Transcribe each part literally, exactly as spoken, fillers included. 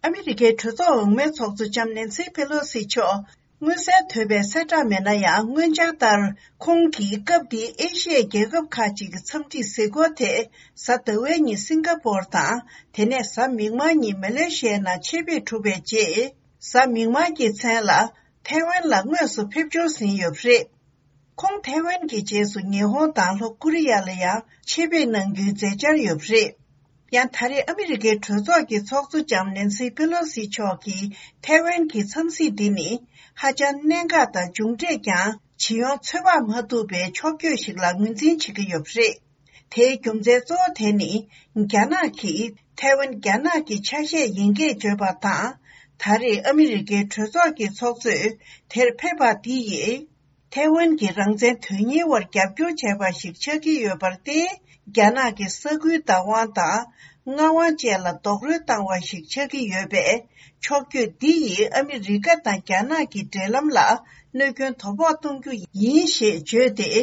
ཨ་མི་རི་ཀའི་གྲོས་ཚོགས་འོག་མའི་ཚོགས་གཙོ་ལྕམ་ནེན་སི་པེ་ལོ་སི་མཆོག་མངོན་གསལ་དོད་པའི་གསལ་བསྒྲགས་མེད་ན་ཡང་། སྔོན་འཆར་ལྟར་ཁོང་གིས་སྐབས་དེའི་ཨེ་ཤི་ཡའི་རྒྱལ་ཁབ་ཁག་ཅིག་གི་འཚམས་འདྲིའི་གཟིགས་སྐོར་དེ་གཟའ་ཟླ་བའི་ཉིན་སིང་ག་པོར་དང་། དེ་ནས་གཟའ་མིག་དམར་ཉིན་མ་ལེ་ཤི་ཡའི་ནང་ཆེད་ཕེབས་གྲུབ་པའི་རྗེས། གཟའ་མིག་དམར་གྱི་མཚན་ལ་ཐའེ་ཝན་ལ་དངོས་སུ་ཕེབས་འབྱོར་ཟིན་ཡོད་པ་རེད། ཁོང་ཐའེ་ཝན་གྱི་རྗེས་སུ་ཉི་ཧོང་དང་ལྷོ་ཀོ་རི་ཡ་ལ་ཡང་ཆེད་ཕེབས་གནང་རྒྱུའི་མཛད་འཆར་ཡོད་པ་རེད། ཡང་ད་རེས་ཨ་མི་རི་ཀའི་གྲོས་ཚོགས་ཀྱི་ཚོགས་གཙོ་ལྕམ་ནེན་སི་པེ་ལོ་སི་མཆོག་གིས་ཐའེ་ཝན་གྱི་འཚམས་གཟིགས་འདི་ནི་ཧ་ཅང་གནད་འགག་དང་མཇུག་འབྲས་ཀྱང་ཇི་ཡོང་ཚོད་དཔག་མ་ཐུབ་པའི་ཕྱོགས་བསྐྱོད་ཞིག་ལ་ངོས་འཛིན་བྱེད་ཀྱི་ཡོད་པ་རེད། དེའི་རྒྱུ་མཚན་གཙོ་བོ་དེ་ནི་རྒྱ་ནག་གིས་ཐའེ་ཝན་རྒྱ་ནག་གི་ཆ་ཤས་ཡིན་སྐད་བརྗོད་པ་དང་། ད་རེས་ཨ་མི་རི་ཀའི་གྲོས་ཚོགས་ཀྱི་ཚོགས་གཙོས་དེར་ཕེབས་པ་འདི་ཡིས། ཐའེ་ཝན་གྱི་རང་བཙན་དོན་གཉེར་བར་རྒྱབ་སྐྱོར་བྱས་པ་ཞིག་ཆགས་ཀྱི་ཡོད་པར་བརྟེན། རྒྱ་ནག་གི་ས་ཁུལ་བདག་དབང་དང་མངའ་དབང་བཅས་ལ་རྡོག་རོལ་བཏང་བ་ཞིག་ཆགས་ཀྱི་ཡོད་པས། ཕྱོགས་བསྐྱོད་འདི་ཡིས་ཨ་མི་རི་ཀ་དང་རྒྱ་ནག་གི་འབྲེལ་ལམ་ལ་གནོད་སྐྱོན་དོ་ཕོག་གཏོང་རྒྱུ་ཡིན་ཞེས་བརྗོད་དེ།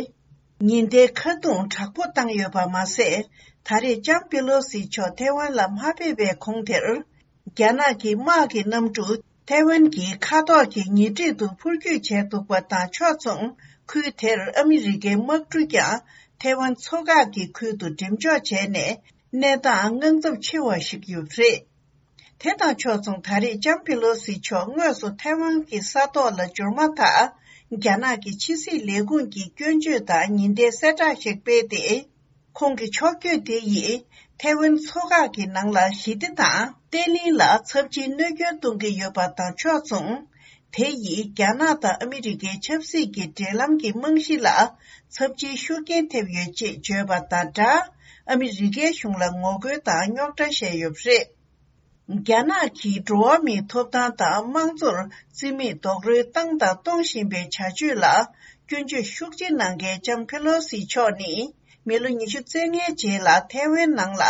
ཉེན་བརྡའི་ཁ་རྡུང་དྲག་པོ་བཏང་ཡོད་པ་མ་ཟད། ད་རེས་ལྕམ་པེ་ལོ་སི་མཆོག་ཐའེ་ཝན་ལ་མ་ཕེབས་པའི་གོང་དེར། རྒྱ་ནག་གི་དམག་གི་གནམ་གྲུ་ཐའེ་ཝན་གྱི་མཁའ་ཐོག་གི་ཉེ་འཁྲིས་དུ་འཕུར་སྐྱོད་བྱས་འདུག་པ་དང་ཕྱོགས་མཚུངས། ཁུལ་དེར་ཨ་མི་རི་ཀའི་དམག་གྲུ་ཀྱང་ཐའེ་ཝན་མཚོ་འགག་གི་ཁུལ་དུ་འགྲེམས་འཇོག་བྱས་ནས། གནས་སྟངས་དངངས་འཚབ་ཆེ་བ་ཞིག་ཡོད་པ་རེད། དེ་དང་ཕྱོགས་མཚུངས། ད་རེས་ལྕམ་པེ་ལོ་སི་མཆོག་དངོས་སུ་ཐའེ་ཝན་གྱི་ས་ཐོག་ལ་འབྱོར་མ་ཐག་རྒྱ་ནག་གི་ཕྱི་སྲིད་ལས་ཁུངས་ཀྱིས་སྐྱོན་བརྗོད་དང་ཉེན་བརྡའི་གསལ་བསྒྲགས་ཤིག་སྤེལ་ཏེ། ཁོང་གི་ཕྱོགས་བསྐྱོད་དེ་ཡིས་ཐའེ་ཝན་མཚོ་འགག་གི་ནང་ལ་ཞི་བདེ་དང་བརྟན་ལྷིང་ལ་ཚབས་ཆེའི་གནོད་སྐྱོན་གཏོང་གི་ཡོད་པ་དང་ཕྱོགས་མཚུངས། དེ་ཡིས་རྒྱ་ནག་དང་ཨ་མི་རི་ཀའི་ཆབ་སྲིད་ཀྱི་འབྲེལ་ལམ་གྱི་རྨང་གཞི་ལ་ཚབས་ཆེའི་ཤུགས་རྐྱེན་ཐེབས་ཡོད་ཅེས་བརྗོད་པ་དང་སྦྲགས། ཨ་མི་རི་ཀའི་གཞུང་ལ་ངོ་རྒོལ་དང་རྙོག་དྲ་བཤད་ཡོད་པ་རེད། རྒྱ་ནག་གིས་འགྲོ་བ་མིའི་ཐོབ་ཐང་དང་དམངས་གཙོར་བརྩི་མེད་རྡོག་རོལ་བཏང་དང་གཏོང་བཞིན་པའི་བྱ་སྤྱོད་ལ་སྐྱོན་བརྗོད་ཤུགས་ཆེ་གནང་མཁན་ལྕམ་ཕེ་ལོ་སི་མཆོག་ནི། མི་ལོ་ཉི་ཤུ་རྩ་ལྔའི་རྗེས་ལ་ཐའེ་ཝན་ནང་ལ་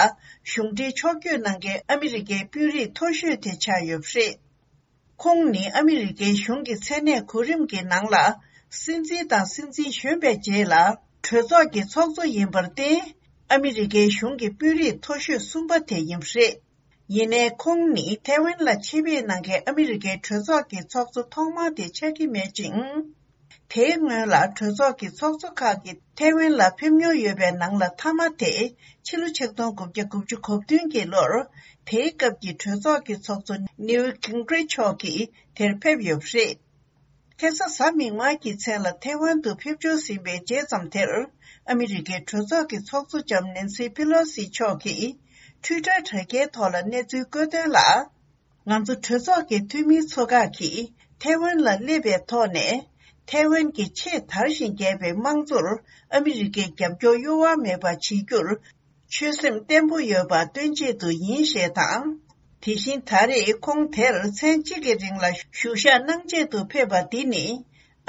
གཞུང་འབྲེལ་ཕྱོགས་བསྐྱོད་གནང་མཁན་ཨ་མི་རི་ཀའི་དཔོན་རིགས་མཐོ་ཤོས་དེ་ཆགས་ཡོད་པ་རེད། ཁོང་ནི་ཨ་མི་རི་ཀའི་གཞུང་གི་མཚན་གནས་གོ་རིམ་གྱི་ནང་ལ་སྲིད་འཛིན་དང་སྲིད་འཛིན་གཞོན་པའི་རྗེས་ལ་གྲོས་ཚོགས་ཀྱི་ཚོགས་གཙོ་ཡིན་པར་བརྟེན། ཨ་མི་རི་ཀའི་གཞུང་གི་དཔོན་རིགས་མཐོ་ཤོས་གསུམ་པ་དེ་ཡིན་པ་རེད། ཡིན་ནའི་ཁོང་ནི་ཐའེ་ཝན་ལ་ཆེད་ཕེབས་གནང་མཁན་ཨ་མི་རི་ཀའི་གྲོས་ཚོགས་ཀྱི་ཚོགས་གཙོ་ཐོག་མ་དེ་ཆགས་ཀྱི་མེད་ཅིང་། དེའི་སྔོན་ལ་གྲོས་ཚོགས་ཀྱི་ཚོགས་གཙོ་ཁག་གིས་ཐའེ་ཝན་ལ་ཕེབས་མྱོང་ཡོད་པའི་ནང་ལ་མཐའ་མ་དེ་ཕྱི་ལོ་ཆིག་སྟོང་དགུ་བརྒྱ་དགུ་བཅུ་གོ་བདུན་གྱི་ལོར། དེའི་སྐབས་ཀྱི་གྲོས་ཚོགས་ཀྱི་ཚོགས་གཙོ་ནིའུ་ཏི་གིང་རིཆ་མཆོག་གིས་དེར་ཕེབས་ཡོད་པ་རེད། ཁ་སང་གཟའ་མིག་དམར་གྱི་མཚན་ལ་ཐའེ་ཝན་དུ་ཕེབས་འབྱོར་ཟིན་པའི་རྗེས་ཙམ་དེར། ཨ་མི་རི་ཀའི་གྲོས་ཚོགས་ཀྱི་ཚོགས་གཙོ་ལྕམ་ནེན་སི་ཕེ་ལོ་སི་མཆོག་གིས་ཊུའི་ཊར་དྲ་རྒྱའི་ཐོག་ལ་གནས་ཚུལ་བཀོད་དོན་ལ། ང་ཚོ་གྲོས་ཚོགས་ཀྱི་འཐུས་མིའི་ཚོ་ཁག་གིས་ཐའེ་ཝན་ལ་སླེབས་པའི་ཐོག་ནས། ཐའེ་ཝན་གྱི་ཆེས་དར་ཞིང་རྒྱས་པའི་དམངས་གཙོར་ཨ་མི་རི་ཀས་རྒྱབ་སྐྱོར་གཡོ་བ་མེད་པ་བྱེད་རྒྱུར། ཆོད་སེམས་བརྟན་པོ་ཡོད་པ་སྟོན་ཆེད་དུ་ཡིན་ཞེས་དང་། དེ་བཞིན་ད་རེས་ཁོང་དེར་མཚན་གཅིག་གི་རིང་ལ་བཞུགས་ཞག་གནང་ཆེད་དུ་ཕེབས་པ་འདི་ནི།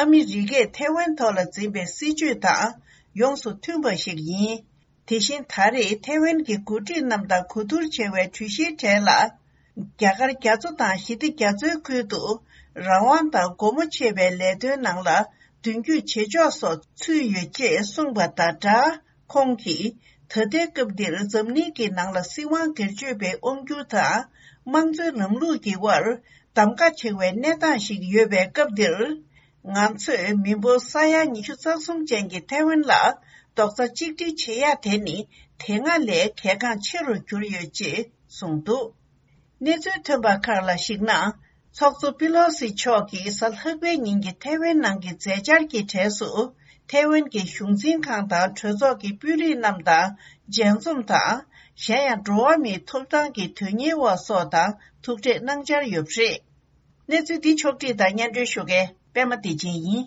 ཨ་མི་རི་ཀས་ཐའེ་ཝན་ཐོག་ལ་འཛིན་པའི་སྲིད་བྱུས་དང་ཡོངས་སུ་མཐུན་པ་ཞིག་ཡིན། དེ་བཞིན་ད་རེས་ཐའེ་ཝན་གྱི་འགོ་ཁྲིད་རྣམས་དང་གོ་བསྡུར་བྱས་པའི་གྲོས་གཞིའི་གྲས་ལ། རྒྱ་གར་རྒྱ་མཚོ་དང་ཞི་བདེ་རྒྱ་མཚོའི་ཁུལ་དུ་རང་དབང་དང་སྒོ་མོ་ཕྱེ་བའི་ལས་དོན་ནང་ལ་མདུན་སྐྱོད་བྱེད་ཕྱོགས་སོགས་ཚུད་ཡོད་ཅེས་གསུངས་པ་དང་སྦྲགས། ཁོང་གིས་ད་ལྟའི་སྐབས་འདིར་འཛམ་གླིང་གི་ནང་ལ་སྲིད་དབང་སྒེར་གཅོད་པའི་དབང་སྒྱུར་དང་དམངས་གཙོའི་ལམ་ལུགས་ཀྱི་དབར་གདམ་ཀ་བྱེད་པའི་གནས་སྟངས་ཤིག་ཡོད་པའི་སྐབས་འདིར། ང་ཚོས་མི་འབོར་ས་ཡ་ཉི་ཤུ་རྩ་གསུམ་ཅན་གྱི་ཐའེ་ཝན་ལ་རྡོག་རྩ་གཅིག་སྒྲིལ་བྱེད་ཡ་དེ་ནི་དེ་སྔ་ལས་གལ་འགངས་ཆེ་རུ་གྱུར་ཡོད་ཅེས་གསུངས་འདུག་གནས་ཚུལ་ཐོན་པ་ཁག་ལ་གཞིགས་ན། ཚོགས་གཙོ་པི་ལོ་སི་མཆོག་གིས་གཟའ་ལྷག་པའི་ཉིན་གྱི་ཐའེ་ཝན་ནང་གི་མཛད་འཆར་གྱི་གྲས་སུ། ཐའེ་ཝན་གྱི་གཞུང་འཛིན་ཁང་དང་གྲོས་ཚོགས་ཀྱི་དཔོན་རིགས་རྣམས་དང་མཇལ་འཛོམས་དང་། གཞན་ཡང་འགྲོ་བ་མིའི་ཐོབ་ཐང་གི་དོན་གཉེར་བ་སོགས་དང་ཐུག་འཕྲད་གནང་འཆར་ཡོད་པ་རེད། གནས་ཚུལ་འདི་ཕྱོགས་བསྒྲིགས་དང་སྙན་སྒྲོན་ཞུ་མཁན་པད་མ་བདེ་ཆེན་ཡིན།